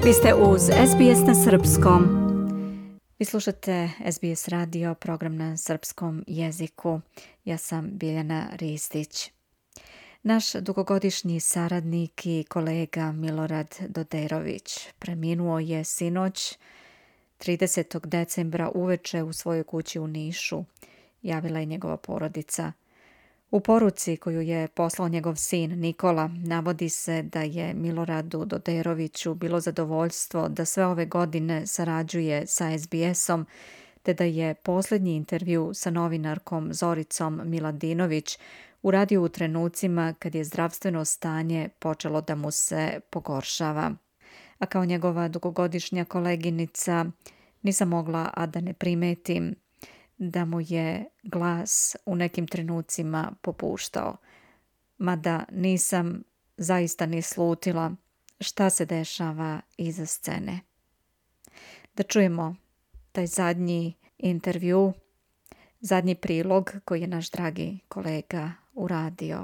Vi ste uz SBS na srpskom. Vi slušate SBS radio, program na srpskom jeziku. Ja sam Biljana Ristić. Naš dugogodišnji saradnik i kolega Milorad Doderović preminuo je sinoć 30. decembra uveče u svojoj kući u Nišu, javila je njegova porodica. U poruci koju je poslao njegov sin Nikola navodi se da je Miloradu Doderoviću bilo zadovoljstvo da sve ove godine sarađuje sa SBS-om, te da je posljednji intervju sa novinarkom Zoricom Miladinović uradio u trenucima kad je zdravstveno stanje počelo da mu se pogoršava. A kao njegova dugogodišnja koleginica nisam mogla a da ne primetim da mu je glas u nekim trenucima popuštao, mada nisam zaista ni slutila šta se dešava iza scene. Da čujemo taj zadnji intervju, zadnji prilog koji je naš dragi kolega uradio.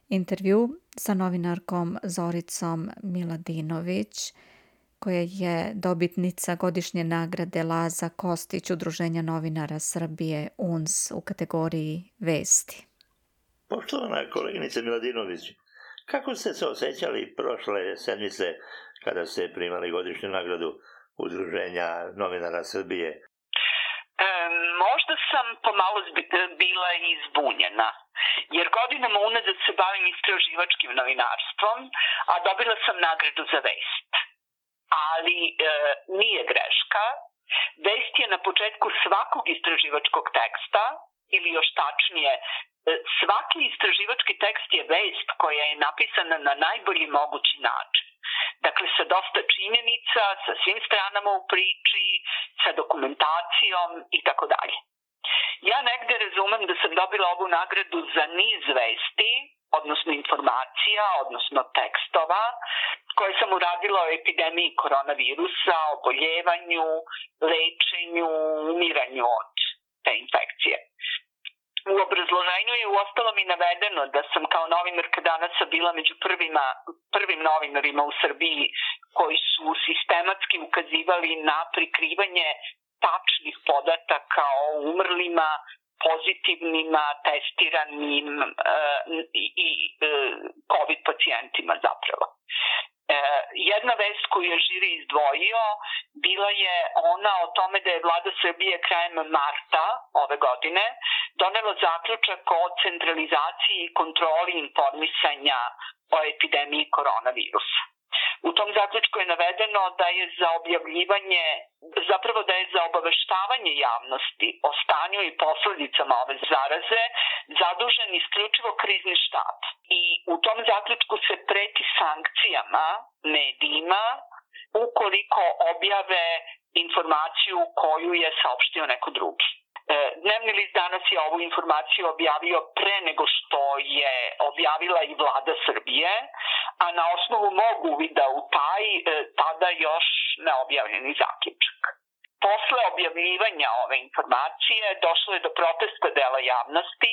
Intervju sa novinarkom Zoricom Miladinović, koja je dobitnica godišnje nagrade Laza Kostić Udruženja novinara Srbije UNS u kategoriji Vesti. Poštovana koleginice Miladinović, kako ste se osjećali prošle sedmice kada ste primali godišnju nagradu Udruženja novinara Srbije? Možda sam pomalo bila izbunjena, jer godinama unazad se bavim istraživačkim novinarstvom, a dobila sam nagradu za vest. Ali nije greška. Vest je na početku svakog istraživačkog teksta, ili još tačnije, svaki istraživački tekst je vest koja je napisana na najbolji mogući način. Dakle, sa dosta činjenica, sa svim stranama u priči, sa dokumentacijom i tako dalje. Ja negde razumem da sam dobila ovu nagradu za niz vesti, odnosno informacija, odnosno tekstova, koje sam uradila o epidemiji koronavirusa, oboljevanju, lečenju, umiranju od te infekcije. U obrazloženju je uostalom i navedeno da sam kao novinarka Danasa bila među prvim novinarima u Srbiji koji su sistematski ukazivali na prikrivanje tačnih podataka o umrlima, pozitivnima, testiranim i COVID pacijentima zapravo. Jedna vest koju je žiri izdvojio bila je ona o tome da je vlada Srbije krajem marta ove godine donela zaključak o centralizaciji i kontroli informisanja o epidemiji koronavirusa. U tom zaključku je navedeno da je za obaveštavanje javnosti o stanju i posledicama ove zaraze zadužen isključivo krizni štab. I u tom zaključku se preti sankcijama medijima ukoliko objave informaciju koju je saopštio neko drugi. Dnevni list Danas je ovu informaciju objavio pre nego što je objavila i vlada Srbije, a na osnovu mog uvida u taj tada još neobjavljeni zaključak. Posle objavljivanja ove informacije došlo je do protesta dela javnosti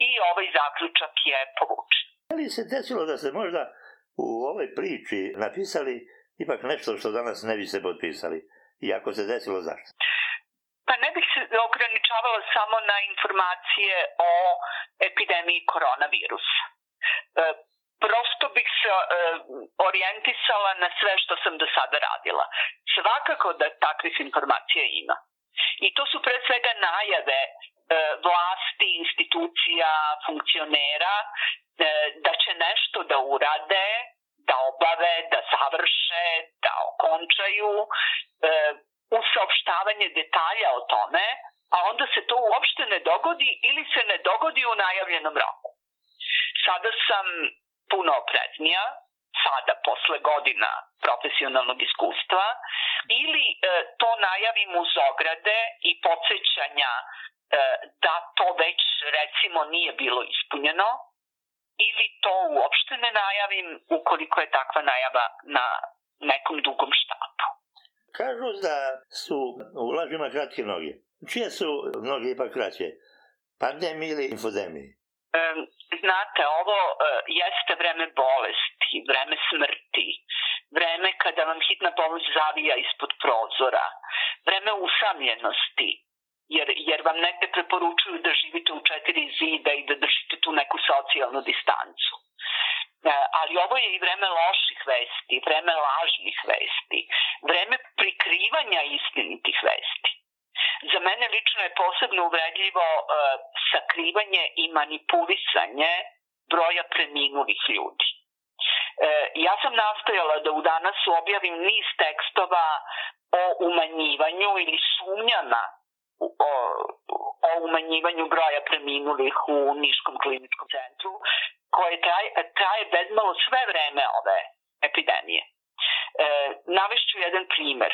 i ovaj zaključak je povučen. Da li se desilo da ste možda u ovoj priči napisali ipak nešto što danas ne biste potpisali? I ako se desilo, zašto? Pa ne bih se ograničavala samo na informacije o epidemiji koronavirusa. Prosto bih se orijentisala na sve što sam do sada radila. Svakako da takvih informacija ima. I to su pre svega najave vlasti, institucija, funkcionera da će nešto da urade, da obave, da završe, da okončaju, uz saopštavanje detalja o tome, a onda se to uopšte ne dogodi ili se ne dogodi u najavljenom roku. Sada sam puno opreznija, sada posle godina profesionalnog iskustva, ili to najavim uz ograde i podsećanja da to već recimo nije bilo ispunjeno, ili to uopšte ne najavim ukoliko je takva najava na nekom dugom štapu. Kažu da su u lažima kratke noge. Čije su noge ipak kraće? Pandemije ili infodemije? Znate, ovo jeste vreme bolesti, vreme smrti, vreme kada vam hitna pomoć zavija ispod prozora, vreme usamljenosti, jer vam negde preporučuju da živite u 4 zida i da držite tu neku socijalnu distancu. Ali ovo je i vreme loših vesti, vreme lažnih vesti, vreme prikrivanja istinitih vesti. Za mene lično je posebno uvredljivo sakrivanje i manipulisanje broja preminulih ljudi. Ja sam nastojala da u Danasu objavim niz tekstova o umanjivanju ili sumnjama o umanjivanju broja preminulih u Niškom kliničkom centru, koje traje bezmalo sve vreme ove epidemije. Navešću jedan primer.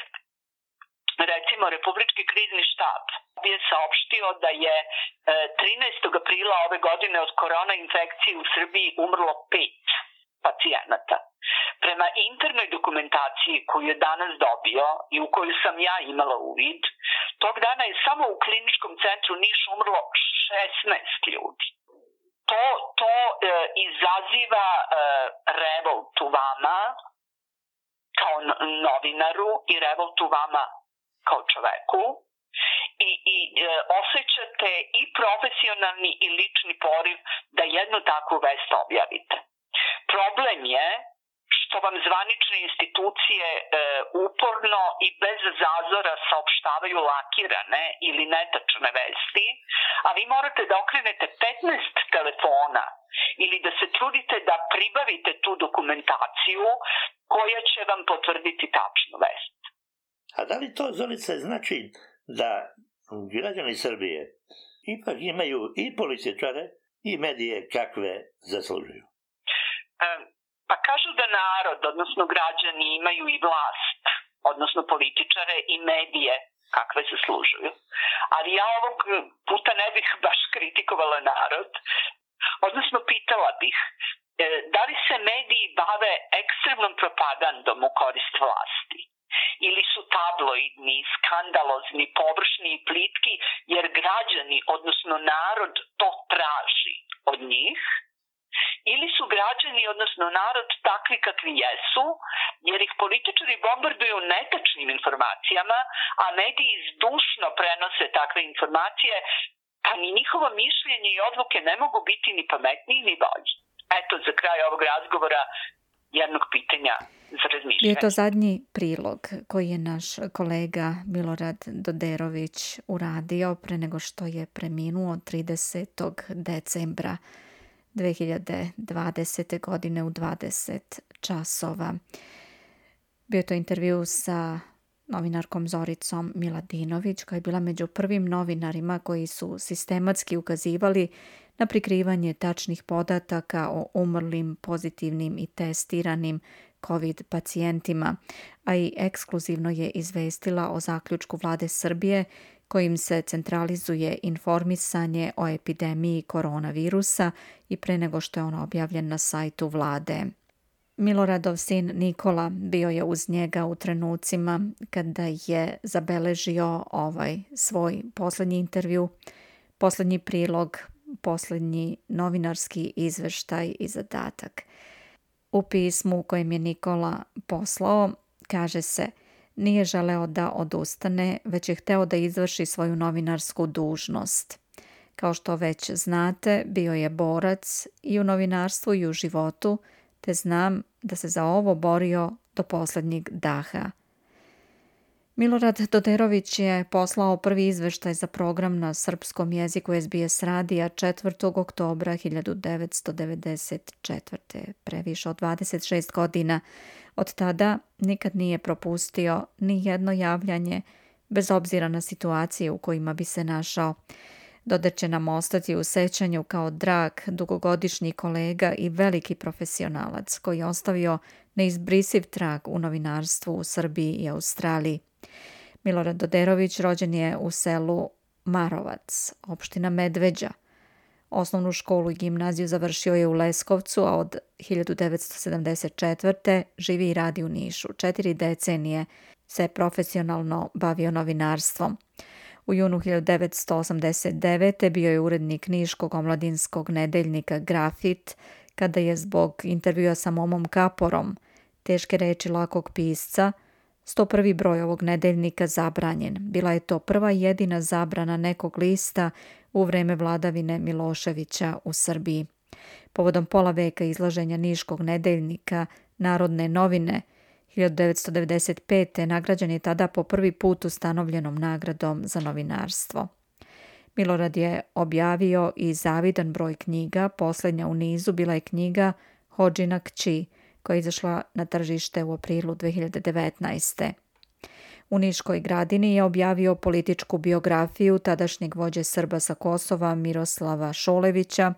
Recimo, Republički krizni štab je saopštio da je 13. aprila ove godine od korona infekcije u Srbiji umrlo 5 pacijenata. Prema internoj dokumentaciji koju je danas dobio i u koju sam ja imala uvid, tog dana je samo u kliničkom centru Niš umrlo 16 ljudi. To izaziva revolt u vama kao novinaru i revolt u vama kao čoveku i osjećate i profesionalni i lični poriv da jednu takvu vest objavite. Problem je što vam zvanične institucije uporno i bez zazora saopštavaju lakirane ili netačne vesti, a vi morate da okrenete 15 telefona ili da se trudite da pribavite tu dokumentaciju koja će vam potvrditi tačnu vest. A da li to, Zorice, znači da građani Srbije ipak imaju i političare i medije kakve zaslužuju? Pa kažu da narod, odnosno građani, imaju i vlast, odnosno političare i medije kakve zaslužuju. Ali ja ovog puta ne bih baš kritikovala narod, odnosno pitala bih da li se mediji bave ekstremnom propagandom u korist vlasti? Ili su tabloidni, skandalozni, površni i plitki, jer građani, odnosno narod, to traži od njih? Ili su građani, odnosno narod, takvi kakvi jesu, jer ih političari bombarduju netačnim informacijama, a mediji zdušno prenose takve informacije, pa ni njihovo mišljenje i odluke ne mogu biti ni pametniji ni bolji. Eto, za kraj ovog razgovora, jednog pitanja za razmišljanje. Je to zadnji prilog koji je naš kolega Milorad Doderović uradio pre nego što je preminuo 30. decembra 2020. godine u 20 časova. Bio je to intervju sa novinarkom Zoricom Miladinović, koja je bila među prvim novinarima koji su sistematski ukazivali na prikrivanje tačnih podataka o umrlim, pozitivnim i testiranim COVID pacijentima, a i ekskluzivno je izvestila o zaključku vlade Srbije kojim se centralizuje informisanje o epidemiji koronavirusa i pre nego što je on objavljen na sajtu vlade. Miloradov sin Nikola bio je uz njega u trenucima kada je zabeležio ovaj svoj poslednji intervju, poslednji prilog, poslednji novinarski izveštaj i zadatak. U pismu kojem je Nikola poslao kaže se: nije želeo da odustane, već je hteo da izvrši svoju novinarsku dužnost. Kao što već znate, bio je borac i u novinarstvu i u životu, te znam da se za ovo borio do poslednjeg daha. Milorad Doderović je poslao prvi izveštaj za program na srpskom jeziku SBS radija 4. oktobra 1994. Pre više od 26 godina. Od tada nikad nije propustio ni jedno javljanje, bez obzira na situacije u kojima bi se našao. Doder će nam ostati u sećanju kao drag, dugogodišnji kolega i veliki profesionalac koji je ostavio neizbrisiv trag u novinarstvu u Srbiji i Australiji. Milorad Doderović rođen je u selu Marovac, opština Medveđa. Osnovnu školu i gimnaziju završio je u Leskovcu, a od 1974. živi i radi u Nišu. 4 decenije se profesionalno bavio novinarstvom. U junu 1989. bio je urednik niškog omladinskog nedeljnika Grafit, kada je zbog intervjua sa Momom Kaporom teške reči lakog pisca, 101. broj ovog nedeljnika zabranjen. Bila je to prva i jedina zabrana nekog lista u vreme vladavine Miloševića u Srbiji. Povodom pola veka izlaženja niškog nedeljnika Narodne novine 1995. nagrađen je tada po prvi put ustanovljenom nagradom za novinarstvo. Milorad je objavio i zavidan broj knjiga, posljednja u nizu bila je knjiga Hodžina kći, koja je izašla na tržište u aprilu 2019. U Niškoj Gradini je objavio političku biografiju tadašnjeg vođe Srba sa Kosova Miroslava Šolevića,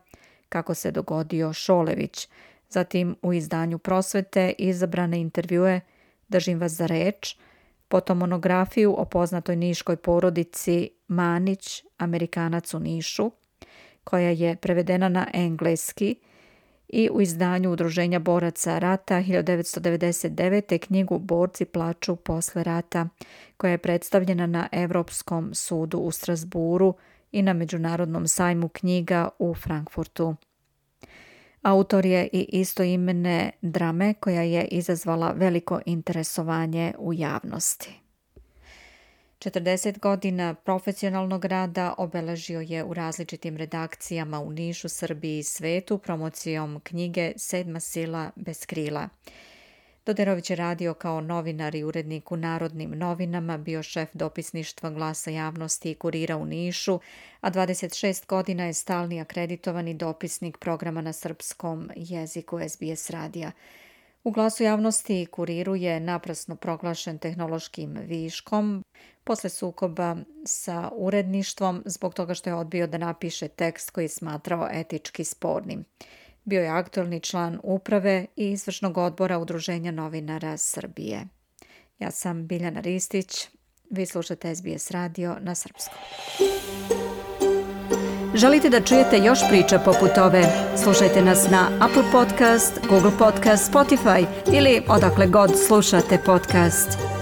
Kako se dogodio Šolević. Zatim u izdanju Prosvete izabrane intervjue Držim vas za reč, potom monografiju o poznatoj niškoj porodici Manić, Amerikanac u Nišu, koja je prevedena na engleski, i u izdanju Udruženja boraca rata 1999. knjigu Borci plaču posle rata, koja je predstavljena na Evropskom sudu u Strasburu i na Međunarodnom sajmu knjiga u Frankfurtu. Autor je i istoimene drame koja je izazvala veliko interesovanje u javnosti. 40 godina profesionalnog rada obeležio je u različitim redakcijama u Nišu, Srbiji i svetu promocijom knjige Sedma sila bez krila. Doderović je radio kao novinar i urednik u Narodnim novinama, bio šef dopisništva Glasa javnosti i Kurira u Nišu, a 26 godina je stalni akreditovani dopisnik programa na srpskom jeziku SBS radija. U Glasu javnosti i Kuriru je naprasno proglašen tehnološkim viškom posle sukoba sa uredništvom zbog toga što je odbio da napiše tekst koji je smatrao etički spornim. Bio je aktualni član uprave i izvršnog odbora Udruženja novinara Srbije. Ja sam Biljana Ristić, vi slušate SBS radio na srpskom. Želite da čujete još priča poput ove? Slušajte nas na Apple Podcast, Google Podcast, Spotify ili odakle god slušate podcast.